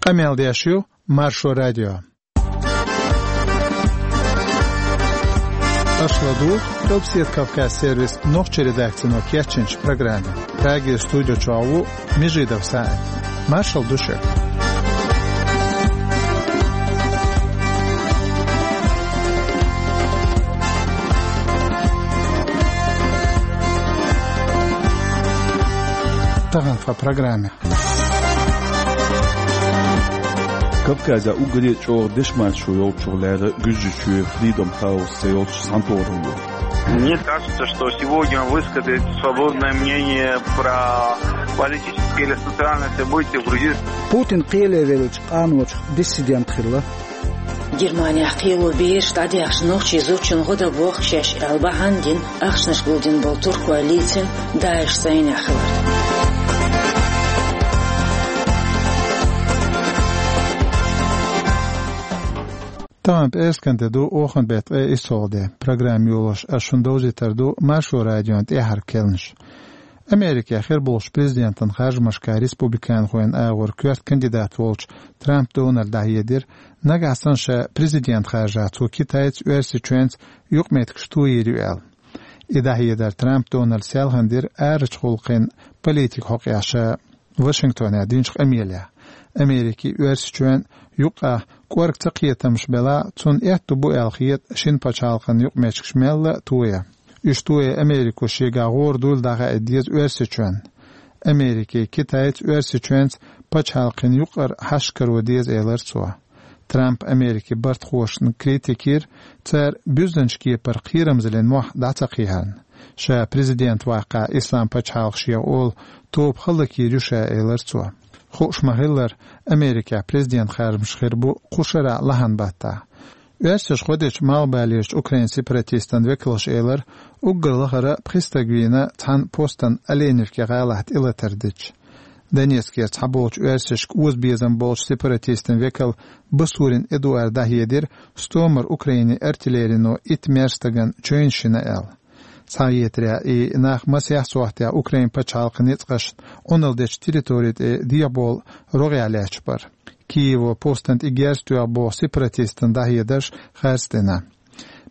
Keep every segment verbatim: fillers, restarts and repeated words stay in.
Къамел деш ю Маршо радио. Аша ладугӀу Къилбаседа Кавказ сервисан нохчийн редакцино кечйинчу программе. Прагера студи чохь ву Межидов СаӀид. Маршалла ду шуьга. Тахана тхан программе. Кавказехь уггаре а чӀогӀа дешманчо йолчух лерина Гуьржийчоь Freedom House цӀе йолчу цхьаьнатохаралло. Мне кажется, что сегодня высказать свободное мнение про политические или социальные события в Грузии. Путин кхеле веллачу къаночух диссидент хилла. Германехь кхело бераш дӀадаьхначу нохчийн зудчун гӀо дан боху шаьш аьлла бахьана дина, ахчанаш гулдина болу туркойн лийцина ДАИШ цӀийнехь хилар. Тахана пӀераскан де ду, оханан беттан ткъе иссалгӀа де. Программа йолош ас шуна довзийтур ду Маршо радион тӀаьххьара кхаьънаш. Америкехь хир болчу президентан харжамашкахь республиканхойн агӀор коьрта кандидат волчу Трамп Дональда дӀахьедира, нагахь санна ша президент харжахь, цо Китайца, Оьрсийчоьнца юкъаметтигаш тойийр ю аьлла. И дӀахьедар Трамп Дональда селхана дира арачу гӀуллакхийн политика хьокъехь ша Вашингтонехь динчу къамелехь. Америкин, Оьрсийчоьнан юкъахь кӀорга цакхетамаш белахь а, цунна аьтто бу аьлла хета шина пачхьалкхан юкъаметтигаш мелла а тоя. Уьш тоя Америко шегахь гӀора дуйла дӀахаийта деза Оьрсийчоьнна. Америкин, Китайца, Оьрсийчоьнца пачхьалкхийн юкъара хьашт каро деза, элира цо. Трампа Америкин бартахошна критика йира, цара буьззинчу кепара кхерамзаллин мохь дӀа ца кхехьарна. Ша президент ваккхахь, Исламан пачхьалкх шех олу тоба хӀаллакйийр ю ша, элира цо. Хууш ма-хиллара, Америкехь президент харжамаш хир бу кху шарахь лахьанан баттахь. Оьрсаша гӀо дечу Малхбалерчу Украинан сепаратистан векалша элира, уггар лахара пхи стаг вийна цхьана постан Оленевки гӀалахь тӀелатар дича. Донецкера цхьаболчу оьрсашка озабезам болчу сепаратистан векала Басурин Эдуарда дӀахьедира, стомара Украинин артиллерино итт маьрша стагана чевнаш йина аьлла. Цхьа а хетарехь, и нах масех сохьтехь Украинан пачхьалкхан ницкъашна Ӏуналла дечу территори тӀе дехьабовла рогӀехь лаьтташ бара. Киево постан тӀе герз тоьхна боху сепаратистан дӀахьедарш харцдина.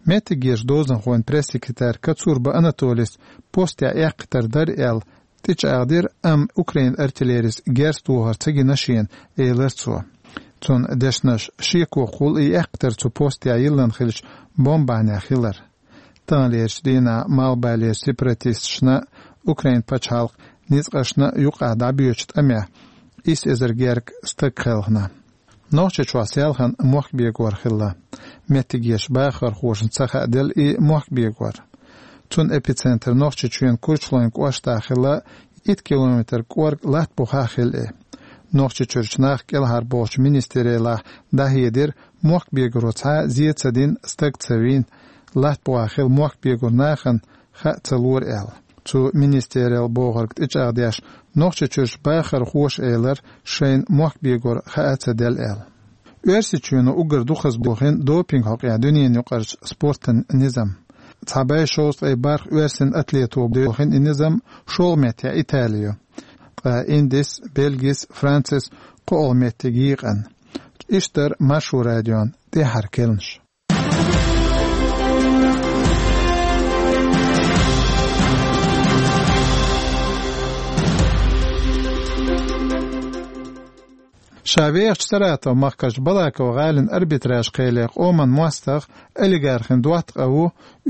Меттигерчу дозанхойн пресс-секретарь Кацурба Анатолис постехь эккхийтар дара аьлла тӀечӀагӀдира, амма Украинан артиллерис герз тохар ца гина шена, элира цо. Цуьнан дешнаш шекохула и эккхийтар цу постехь йиллина хиллачу бомбанехь хилар. Таханлерчу дийнахь Малхбалерчу сепаратисташна а, Украинан пачхьалкхан ницкъашна а юкъахь дӀабоьдучу тӀамехь исс эзар гергга стаг кхелхина. Нохчийчохь селхана мохк бегор хилла. Меттигерчу бахархошна ца хааделла и мохк бегор. Цуьнан эпицентр Нохчийчоьнан Курчалойн кӀоштахь хилла, итт километр кӀорга латта бухахь хилла и. Нохчийчуьрчу нах кӀелхьарбохучу министраллехь дӀахьедира, мохк бегаро цхьа а зе ца дина, стаг ца вийна, латта бухахь хилла мохк бегорчу нахана хаа ца лора аьлла. Цу министралло бохург тӀечӀагӀдеш, Нохчийчуьрчу бахархоша элира, шайна мохк бегор хаа ца делла аьлла. Оьрсийчоьно уггар дукхазбохийна допинг хьокъехь дуьненаюкъарчу спортан низам. Цхьа бӀе шовзткъе бархӀ оьрсийн атлето бохийна и низам шолгӀа меттехь Итали ю. Ткъа Индис, Бельгис, Францис кхоалгӀа меттиг йийкъина. Иштта дара Маршо радион тӀаьххьара кхаьънаш. Ша вехачу Саратов-махкарчу Балаково-гӀалин арбитраж кхеле къоман мостагӀа, олигархин доттагӀа а ву,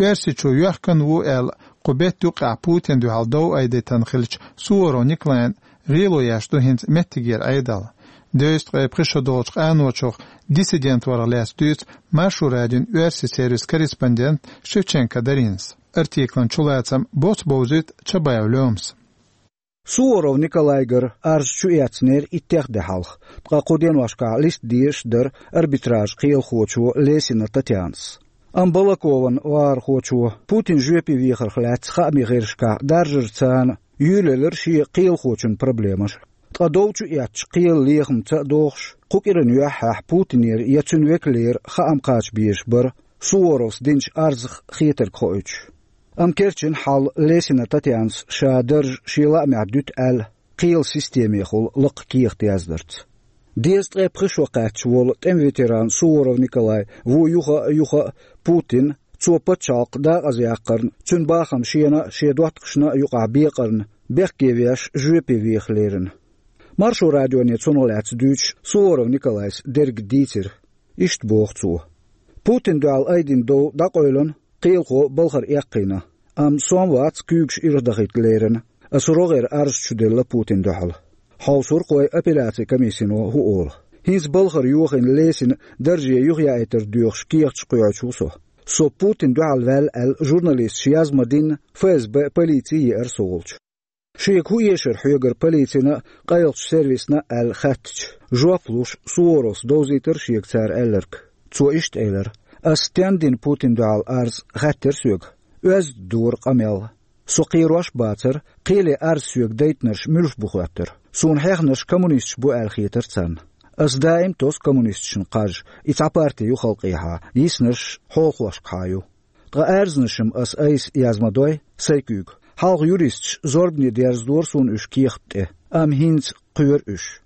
Оьрсийчу йоьхкан а ву аьлла, кху беттан юкъахь Путинна дуьхьал дов айдийтина хиллачу Суворов Николайна гӀело еш ду хӀинца меттигера Ӏедал. Дезткъе пхи шо долчу къаночух диссидент варах лаьцна дуьйцу Маршо радион оьрсийн сервисан корреспондента Шевченко Даринас. Артиклан чулацам боц бовзуьйту Чабаев Лёмас. Суворов Николайгара арз чуэцнера иттех де хьалха, ткъа кху деношкахь листа дезаш дара арбитраж кхелахочо Лесина Татьянас. Амма Балакован вахархочо Путин жоьпе вехарх лаьцна хаамийн гӀирсашкахь даржарца юьйлаелира шен кхелахочун проблемаш. Ткъа дов чуэцча кхелан лехамца а догӀуш, кху кӀиран юьххьехь Путинера я цуьнан векалера хаам кхача безаш бара Суворовс динчу арзах хетарг хоуьйтуш. Амма керчина хьал Лесина Татьянас ша дарж шен лаамехь дуьту аьлла, кхелан системехула лакха кехат яздарца. Дезткъе пхи шо кхаьчча волу тӀеман ветеран Суворов Николай ву юха а, юха а Путин, цо пачхьалкх дакъазаяккхарна, цуьнан бахам шена а, шен доттагӀашна а юкъахь бекъарна, бехке веш, жоьпе веха лерина. Маршо радионе цунах лаьцна дуьйцуш Суворов Николайс дерг дийцира. Иштта боху цо: Путинна дуьхьал айдина дов дӀакъевлина, кхелахо балхара эккхийна. Амма со-м вац куьйгаш ирхдахийта лерина, аса рогӀера арз чуделла Путинна дуьхьал. Хьовсур-кх вай апелляцин комиссино хӀун олу. ХӀинца балхара йохийна Лесина дарже юхаяийтар доьхуш кехаташ кхоьхьуш ву со. Со Путинна дуьхьал ваьлла аьлла журналисташа яз ма-динна, ФСБ, полици еара со волчу. Шега хӀун эшара хьоьгара полицина а, къайлахчу сервисна а аьлла хаьттича, жоп луш, Суворовс довзийтира шега цара аьлларг. Цо иштта элира: «Ас стенна дина Путинна дуьхьал арз?» — хаьттира соьга. Оьзда дора къамел. Со кхерош а бацара, кхеле арз соьга дайтинарш муьлш бу хоьттура. Суна хьехнарш коммунисташ бу аьлла хетара царна. Ас даим тосу коммунисташна кхаж, и цхьа парти ю халкъехьа, йиснарш хьолахошкахьа ю. Ткъа аьрзнаш-м ас айса яз ма дой, сайн куьйга. Хьалха юристаш зорбане дерзадора суна уьш кехат тӀе, амма хӀинца кхоьру уьш.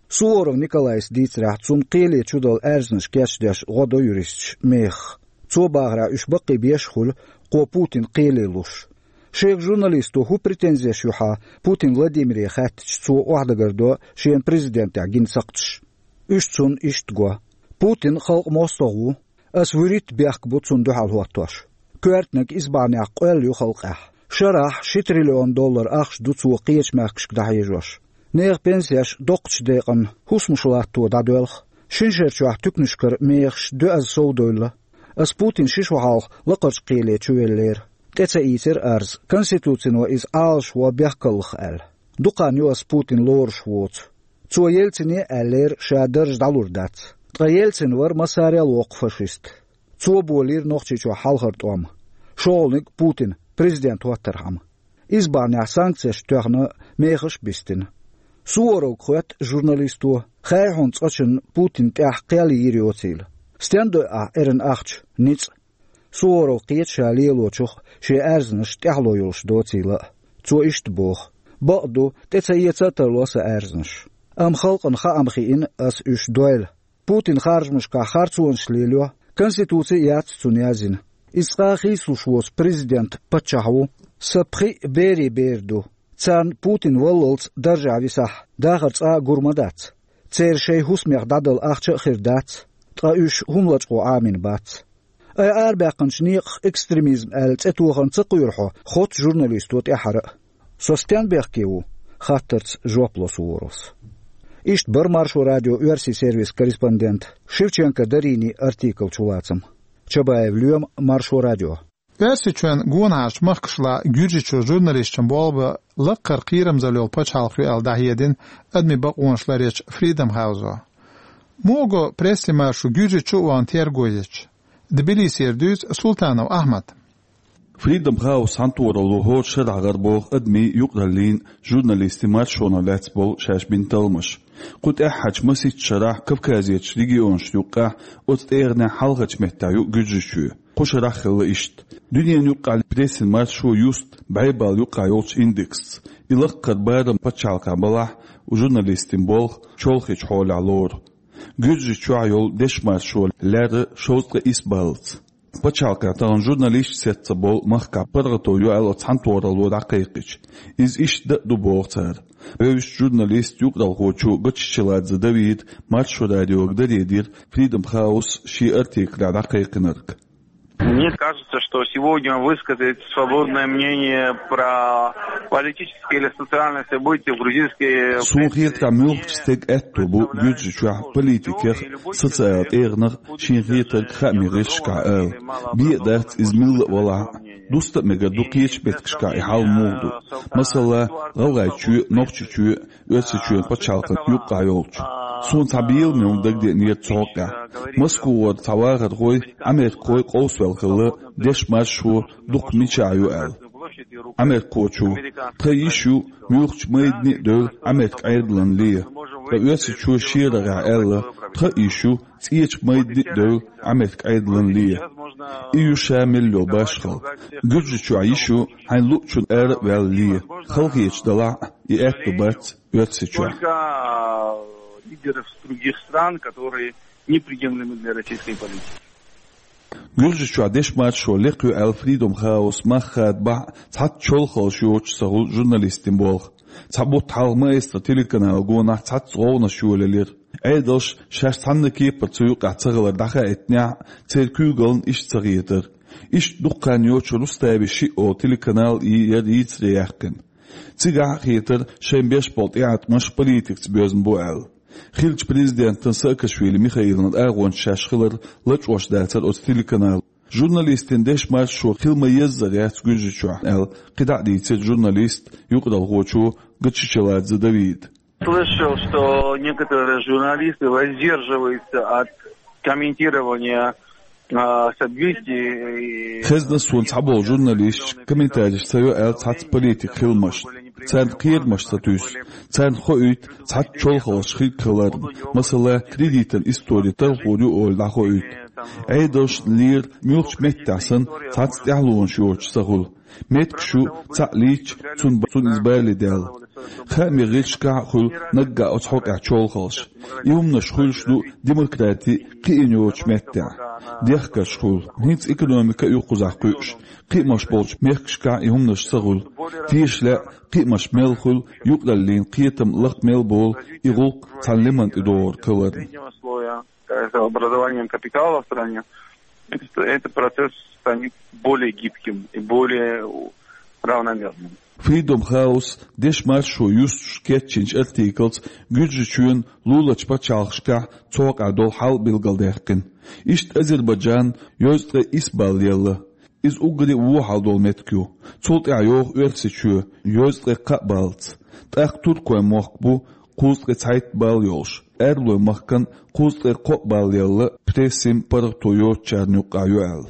Суворов Николайс дийцарехь, цунна кхеле чудала аьрзнаш кечдеш гӀо до юристаш мехах. Цо бахарехь, уьш баккхий беш а хуьлу, кхо Путин кхеле луш. Шега журналисто хӀун претензеш ю хьан Путин Владимире хаьттича, цо охьадагардо шена президентехь гина сакхташ. Уьш цунна иштта го: «Путин халкъан мостагӀа ву. Ас вуьрхӀитта бехк бу цунна дуьхьал хӀоттош. Коьртаниг иза бахьанехь къоьлла ю халкъехь. Шарахь ши триллион доллар ахча ду цо кхечу мехкашка дӀахьежош. Нехан пенсеш доккхачу декъана хӀусамаш латто дӀадоьлху. Шина шарчохь туьканашкара мехаш доьазза совдевлла. Ас Путин ши шо хьалха лакхарчу кхеле чувеллера. ТӀе ца ийцира арз, Конституцино иза Ӏалашво бехкаллах аьлла. Дукха хан ю ас Путин лоруш воцу. Цо Ельцине а аьллера, ша дарж дӀалур дац. Ткъа Ельцин вара массарел воккха фашист. Цо болийра Нохчийчохь хьалхара тӀом. ШолгӀаниг Путин президент хӀоттархьама. Иза бахьанехь санкцеш тоьхна, мехаш а бистина». Суворовга хоьтту журналисто: «Хаьий хьуна цкъачунна Путинна тӀехь кхел йийр йоцийла? Стенна дойу ахь эрна ахча, ницкъ?» Суворов кхета ша лелочух шен аьрзнаш тӀаьхьало йолуш доцийла а. Цо иштта боху: «Бакъ ду, тӀе ца эца а тарло сан аьрзнаш. Амма халкъана хаам хиъна ас уьш дойла. Путин харжамашкахь харцонаш лелайо, конституци а яц цунна яздина. Иза цкъа а хийцалуш воцу президент, паччахь ву. Сан пхиъ берийн бер ду. Царна Путин валлалц даржехь висахь, дахар цкъа а гур ма дац. Церан шайн хӀусамех дӀадала ахча а хир дац, ткъа уьш хӀума лачкъо Ӏамийна бац. Ай арабаьккхинчу некъах экстремизм аьлла цӀе тохарна ца кхоьру хьо хотта журналисто тӀаьххьара а?» «Со стенна бехке ву?» — хаттарца жоп ло Суворовс. Иштта бара Маршо радион оьрсийн сервисан корреспондент Шевченко Даринин артикл чулацам. Чабаев Лоьма, Маршо радио. Оьрсийчоьнан гонахьарчу махкашлахь Гуьржийчу журналисташна болх бан лакхара кхерамзалла йолу пачхьалкх ю аьлла дӀахьедина адамийн бакъонаш ларъечу Freedom House-о. Муха го прессин маршо Гуьржийчу а вахана терго ечу? Тбилисера дуьйцу Султанов Ахьмада. Freedom House цхьаьнатохаралло хӀора шарахь гӀарабоху адамийн, юкъараллин, журналистийн маршонах лаьцна болу шаьш бина талламаш. Кху тӀаьххьарчу масийтта шарахь Кавказерчу регионашна юккъехь, оцу тӀегӀанехь хьалхарчу меттехь ю Гуьржийчоь. Кху шарахь хилла иштта. Дуьненан юккъехь прессин маршо юсту бӀе балла юккъехь йолчу индексца. И лакхара барам пачхьалкхехь балахь, журналистийн болх чолхечу хьолехь лору. Гуьржийчохь йолу дешан маршо лаьрра шовзткъе исс баллаца. Пачхьалкхехь тахана журналисташ сецна болу махкахь паргӀато ю аьлла цхьаьнатохаралло дӀакхайкхича, иза иштта дан а ду боху цара. Вевзачу журналиста, юкъаралхочо Гоччичеладзе Давида Маршо радиога даре дира Freedom House шен артиклехь дӀакхайкхинарг. Мне кажется, что сегодня высказать свободное мнение про политические или социальные события в грузинской... Суна хетарехь, муьлххачу стеган аьтто бу Гуьржийчохь политикех, социал тӀегӀанах шена хетарг хаамийн гӀирсашкахь ала. Бен а дац иза милла а валахь а. Дуста а мегар ду кхечу меттигашкахь и хьал муха ду. Масала, ГӀалгӀайчоь а, Нохчийчоь а, Оьрсийчоьнан пачхьалкхана юккъехь йолчу. Суна цхьа беламе хӀума дагадеанера цу хьокъехь. Москвара цхьа вахархой, америкахой къовсаваьлла хилла, дешан маршо дукха мичахь ю аьлла. Америкахочо: «Тхан йиш ю муьлххачу майдане а девлла Америкин Ӏедална ле». Ткъа Оьрсийчоь шен рогӀехь аьлла: «Тхан а йиш ю цӀечу майдане а девлла Америкин Ӏедална ле». И ю ша мел йолу башхалла. Гуьржийчохь йиш ю хьайна луучунна ара а ваьлла ле. Халахеташ далахь а, и аьтто бац Оьрсийчохь. Только, э, и лидеров других стран, которые неприемлемы для российской политики. Гуьржийчохь дешмаршо лекха ю аьлла Freedom House мах хадабахь цхьацца чолхалш йоцуш ца хуьлу журналистийн болх. Цхьа бутт хьалха Маэстро телеканал гонахь цхьацца гӀовгӀанаш йолаелира. Ӏедалш шаьш цхьанна кепара цу юкъахь ца хилар дӀахаийтинехь, церан куьйгаллина иштта ца хетара. Иштта дукха хан йоцуш Рустави шиъ олу телеканал и яра йийцаре яьккхина. Цигахь а хетара шайн беш болу тӀеӀаткъамаш политикаца боьзна бу аьлла. Хиллачу президентан Саакашвили Михаилан агӀончаш шаьш хилар лачкъош дацара оцу телеканалан. Журналистийн дешмаршо хила ма-еззара яц Гуьржийчохь аьлла, кхидӀа а дийцира журналист, юкъаралхочо Гачичеладзе Давида. Слышал, что некоторые журналисты воздерживаются от комментирования, а, событий и... Хезна суна цхьаболу журналисташ комментареш ца йо аьлла цхьацца политикан хиламашна. Царна кхерамаш ца туьйсу. Царна хоуьйту цхьацца чолхалш хир хиларна, масала, кредитан истори талхор ю олий дӀахоуьйту. Ӏедалшна лера муьлххачу меттехь санна цхьацца тӀаьхьалонаш йоцуш ца хуьлу. Меттигаш ю цхьаъ лийча, цунна, цунна иза бале даьлла. Хаамийн гӀирсашкахь а хуьлу наггахь оцу хьокъехь чолхалш. И хӀуманаш хуьлуш ду демократи кхиъна йоцучу меттехь. Дехкарш хуьлу. ХӀинца экономика а ю кхузахь кхуьуш. Кхиамаш болчу мехкашкахь и хӀуманаш ца хуьлу. Тешале а, кхиамаш мел хуьлу, юкъараллин кхетам лакха мел болу, и гӀуллакх цхьана лиман тӀе догӀург хиларна. Это образованием капитала в стране, это, этот процесс станет более гибким и более равномерным. Freedom House дешмаршо юстуш кечйинчу артиклаца Гуьржийчоьнан луларчу пачхьалкхашкахь цу хьокъехь долу хьал билгалдаьккхина. Иштта Азербайджан йозткъе исс балл елла. Иза уггаре а вон хьал долу меттиг ю. Цул тӀаьхьа йогӀу Оьрсийчоь йозткъе кхаа баллаца. ТӀаккха Туркойн мохк бу кхузткъе цхьайтта балл йолуш. Арлойн махкана кхузткъе кхоъ балл елла, прессин паргӀато йоцучарна юккъехь ю аьлла.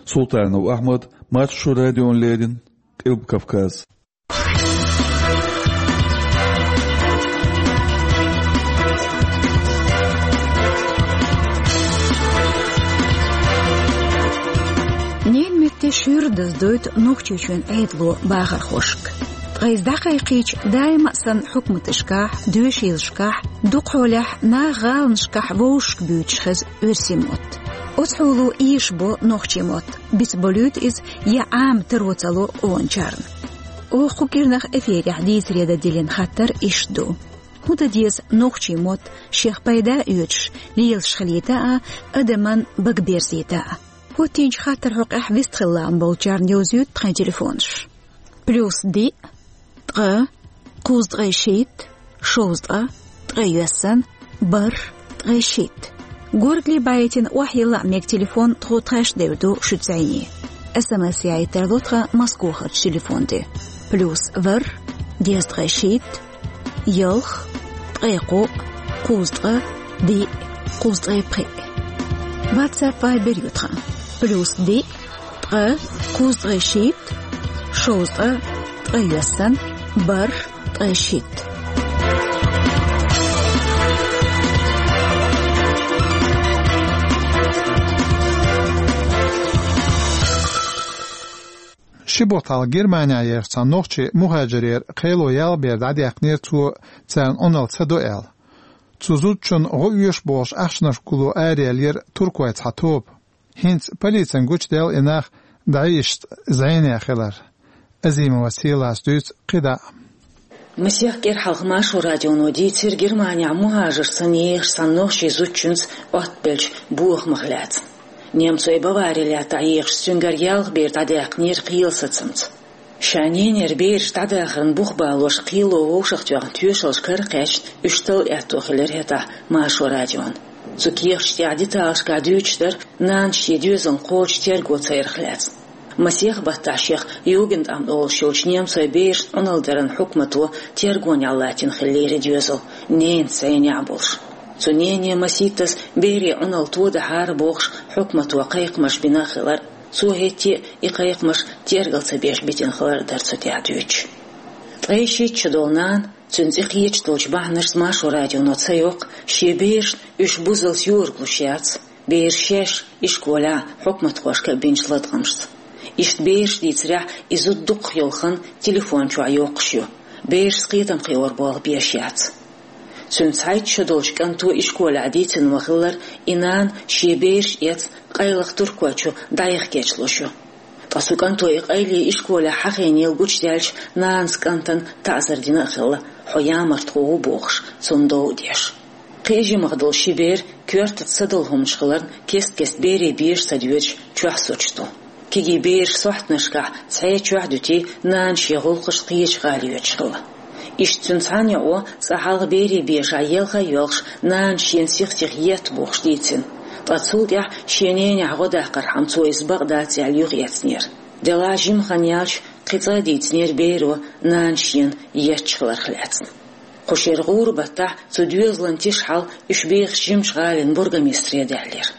Султанов Ахьмад, Маршо радиона леррина, Къилба Кавказ. Ненан меттигаш шуьйра даздойту Нохчийчоьнан Ӏедало бахархошка. Ткъа иза дӀакхайкхийча, даима а санна хьукматашкахь, доьшийлашкахь, дукха хьолехь наха гӀаланашкахь вовшашка буьйцуш хеза оьрсийн мотт. Оцу хьоло эшабо нохчийн мотт, бицболуьйту иза я Ӏама таро ца ло къоначарна. Оха кху кӀирнах эфирехь дийцаре дан диллина хаттар иштта ду: хӀун дан деза нохчийн мотт шех пайда а оьцуш, лелаш хилийта а, адаман бага берзийта а? ХӀоттийначу хаттаран хьокъехь вистхила лаам болчарна йовзуьйту тхайн телефонаш. Плюс диъ, ткъа, кхузткъе шийтта, шовзткъа, ткъайоьссан, бархӀ, ткъе шийтта. Горгали байтина охьайилла а мега телефон тхо тхаьш девр ду шуьца зӀене. СМС яийта тарло тхан Москохарчу телефон тӀе. Плюс ворхӀ, дезткъе шийтта, ялх, ткъе кхоъ, кхузткъа, диъ, кхузткъе пхиъ. WhatsApp, Viber ю тхан. Плюс диъ, ткъа, кхузткъе шийтта, шовзткъа, ткъайоьссан, бархӀ, ткъе шийтта. Ши бутт хьалха Германехь ехачу цхьана нохчийн мухӀажарера кхело ялх бер дӀадаьккхинера цо, царна Ӏуналла ца до аьлла. Цу зудчунна гӀо оьшу бохуш ахчанаш гулло араяьллера туркойн цхьа тоба. ХӀинца полицина гучудаьлла и нах дӀаешшашца зӀенехь хилар. Азимова Селас дуьйцу кхидӀа а. Масех кӀира хьалха Маршо радионо дийцира Германехь мухӀажар санна ехачу цхьана нохчийн зудчуьнца оттабеллачу бохамах лаьцна. Немцойн Бавари лаьттахь ехачу цуьнгара ялх бер дӀадаьккхинера кхелан сацамца. Ша ненера бераш дӀадахарна бух балош кхело вовшахтоьхна тоьшаллаш кара кхаьчна уьш талла аьтто хилира хӀетахь Маршо радион. Цу кехаташ тӀехь деталашкахь дуьйцуш дара нанас шен доьзална кхочуш терго ца ярах лаьцна. Масех баттахь шех Югендамт олуш йолчу немцойн берашна Ӏуналла даран хьукмато тергонехь латтийна хиллера и доьзал, ненан цӀийнехь болуш. Цу нене масийттаза берийн Ӏуналла тодахьара бохуш, хьукмато кхайкхамаш бина хилар. Цо хӀетте а и кхайкхамаш тергал ца беш битина хилар дара цу тӀехь дуьйцуш. Ткъе шийтта шо долу нана, цуьнан цӀе кхеташ долчу бахьанашца Маршо радионо ца йоккху, шен берашна уьш бузаллалц йоралуш яц, бераш шаьш ишколехь, хьукматхошка бинчу латкъамашца. Иштта бераш дийцарехь, и зуда дукхах йолу хан телефон чохь йоккхуш ю. Берашца кхетам кхиор болх беш яц. Цуьнан цхьайтта шо долчу кӀанто ишколехь дийцина ма-хиллара, и нана шен бераш эцна къайлаха Туркойчу дӀаяха кечлуш ю. Ткъа цу кӀанто и къайле ишколехь хьахийнийла гучудаьлча, нанас кӀантана таӀзар дина а хилла, хьо ямартхо ву бохуш, цунна дов а деш. Кхин а жимах долу ши бер коьртаца са долу хӀуманаш хиларна, кест-кеста берийн беша ца доьдуш, чохь суьрташ ду. Кегий бераш сохьтанашкахь цхьа чохь дуьтий, нана шен гӀуллакхаш кхечу гӀала йоьдуш хилла. Иштта цуьнан цхьана йоӀо цкъа хьалха берийн бешахь елха а йоьлхуш, нана шена сих-сиха етта бохуш дийцина. Ткъа цул тӀаьхьа шен ненехь гӀо даккхархьама цо иза бакъ дац аьлла юхаэцнера. Делахь жима хан яьлча, кхин цкъа а дийцинера беро нана шена етташ хиларх лаьцна. Кху шеран гӀуран баттахь цу доьзалан тиша хьал уьш бехачу жимачу гӀалин бургомистре даьллера.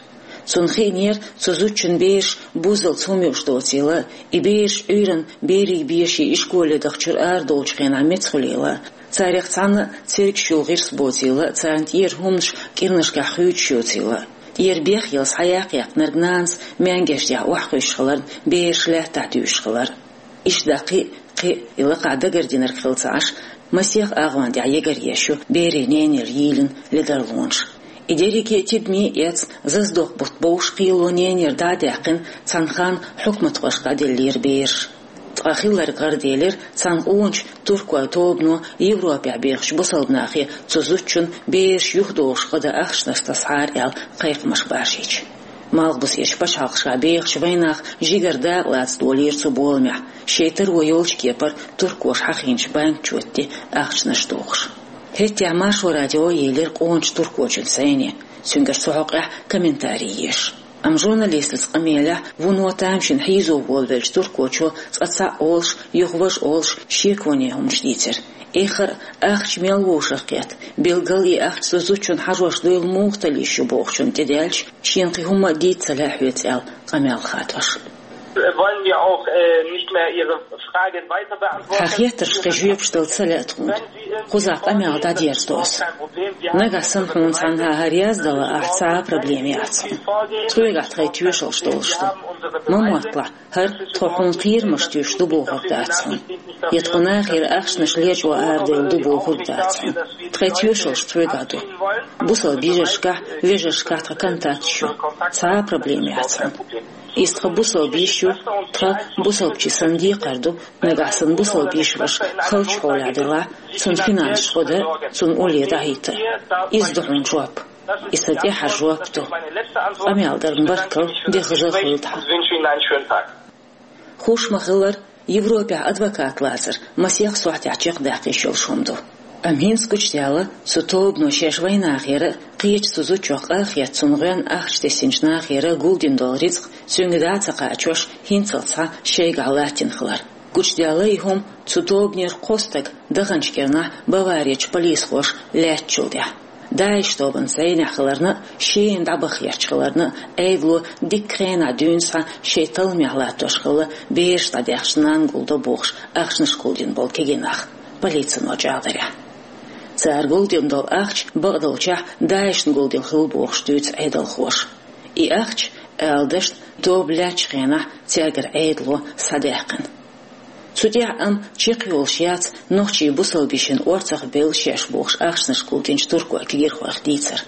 Цунна хиънера цу зудчун бераш буззалц хӀума юуш доцийла, и бераш Ӏуьйранна берийн беший ишколе дахчуьра арадолучу хенахь меца хуьлийла, царех цхьанна а цергаш йолу гӀирс боцийла, царна тӀера хӀуманаш кӀирнашкахь хуьйцуш йоцийла. ТӀера бехъелла схьаяккхаяккхинарг нанас маьнгеш тӀехь охьакхуьйсуш хиларна, бераш лаьттахь дуьйшуш хилар. Иштта кхин а, кхин а и лакхахь дагардинарг хилла ца Ӏаш, масех агӀон тӀехь егар еш ю берийн ненера йийлина ледарлонаш. И дерриге а тидаме а эцна, зазадоккху бутт бовш кхело ненера дӀа а даьккхина, цхьана ханна хьукматхошка дӀаделлера бераш. Ткъа хилларг гӀараделира, цхьана къоначу туркойн тобано Европехь бехачу бусалба нахе цу зудчун бераш юхадохуш гӀо дан ахчанаш тасахьара аьлла кхайкхамаш баржийча. Малхбузерчу пачхьалкхашкахь бехачу вайнах жигара дакъа лаца долийра цу боламехь, шайн таро йолчу кепара туркоша хьахийначу банк-чоьтте ахчанаш дохуш. ХӀетахь Маршо радио елира къоначу туркочун сайне, цуьнгара цу хьокъехь комментарий еш. Амма журналистаца къамелехь вуно тамашийна хьийзо волавеллачу туркочо цкъа цхьаъ олуш, юха важа олуш шеконе хӀуманаш дийцира. Эххар а, ахча мел вовшах кхетта, билггал и ахча цу зудчунна хьажош дуйла муха талла йиш ю бохучунна тӀедаьлча, шена кхин хӀумма а дийца ца лаьа хьоьца аьлла къамел хадош. Wollen wir auch, äh, nicht mehr Ihre Frage weiter beantworten? Хьан хеттаршна кхин жоьпаш дала ца лаьа тхуна. Кхузахь къамел дӀадерзадо аса. Нагахь санна хьуна цхьанхьа хӀара яздала ахь, цхьа а проблема яц хьуна. Тхоьгахь тхайн тоьшаллаш долуш ду. Ма мотталахь, хӀара тхо хьуна кхерамаш туьйсуш ду бохург дац хьуна. Я тхо нахера ахчанаш лечкъо арадевлла ду бохург дац хьуна. Тхайн тоьшаллаш тхоьгахь ду. Бусалба йижаршкахь, вежаршкахь тхан контакташ ю. Цхьа а проблема яц хьуна. Иза тхан бусалба йиш ю, тхан бусалбачийн санна декхар ду, нагахь санна бусалба йиш ваша халчу хьолехь делахь, цунна финансаш гӀо дан, цунна улле дӀахӀитта. Иза ду хьуна жоп. И сан тӀаьххьара жоп ду. Къамел дарна баркалла, де хаза хуьлда хьан. Хууш ма-хиллара, Европехь адвокат лацар масех сохьтехь чекхдаккха йиш йолуш хӀума ду. Амма хӀинца гучудаьлла, цу тобано шаьш вайнахера а, кхечу цу зудчух къахетта цунна гӀоьнна ахча тесначу нахера а гулдина долу рицкъ цуьнга дӀа а ца кхачош, хӀинццалц схьа шайгахь латтина хилар. Гучудаьлла и хӀума цу тобанера кхо стаг даханчу кӀирнахь Баварерчу полисхоша лаьттачул тӀаьхьа. ДАИШ тобанан зӀенехь хиларна а, шена дӀабахъярчу хиларна а, Ӏедало дикка хенахь дуьйна схьа шайн талламехь латтош хилла бераш дӀадаьхча нанна гулдо бохуш ахчанаш гулдина болу кегий нах, полицино чӀагӀдарехь. Цара гулдина долу ахча бакъдолчехь ДАИШна гулдина хилла бохуш дуьйцу Ӏедалхоша. И ахча, ала дашна, тоба лаьттачу хенахь цаьргара Ӏедало схьадаьккхина. Цу тӀехь амма чекхйолуш яц нохчийн бусалба йишин орцах белла шаьш бохуш ахчанаш гулдинчу туркойн кегийрхойх дийцар.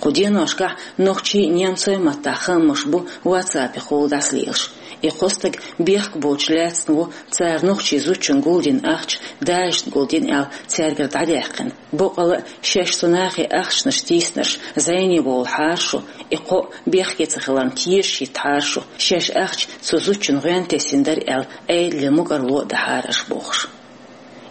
Кху деношкахь нохчийн а, немцойн а маттахь хаамаш бу WhatsApp-ехула дӀасалелаш. И кхо стаг бехк боцуш лаьцна ву, цара нохчийн зудчунна гулдина ахча ДАИШна гулдина аьлла цаьргара дӀадаьккхина. Боккъала а шаьш цу нахе ахчанаш тийснарш зӀене бовлахьара шу, и кхоъ бехке ца хиларна тешаш хӀиттахьара шу, шаьш ахча цу зудчунна гӀоьнна тесина дара аьлла, Ӏедале мукӀарло а дахьара аша бохуш.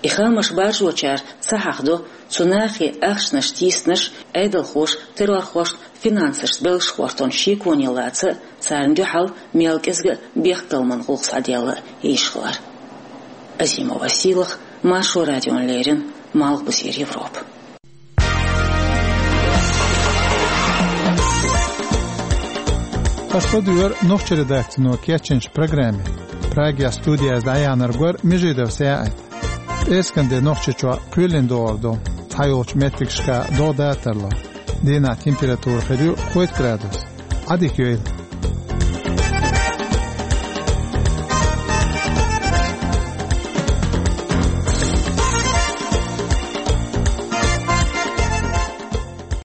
И хаамаш баржочара ца хьахдо, цу нахе ахчанаш тийснарш Ӏедалхоша террорхошна финансашца беллачу хӀортонна шеконе лаца а, царна дуьхьал мел кӀезга а бехкталламан гӀуллакх схьаделла а йиш хилар. Азимова Сийлаха, Маршо радиона леррина, Малхбузера Европа. Аша ладуьйгӀира нохчийн редакцино кечйинчу программе. Прагехь студехь дӀаяьхьнарг вара Межидов СаьӀат. ПӀераскан де Нохчийчохь кхоьлина догӀур ду, цхьайолчу меттигашка догӀа датарло. Дийнахь температура хир ю кхойтта градус. Ӏадика йойла.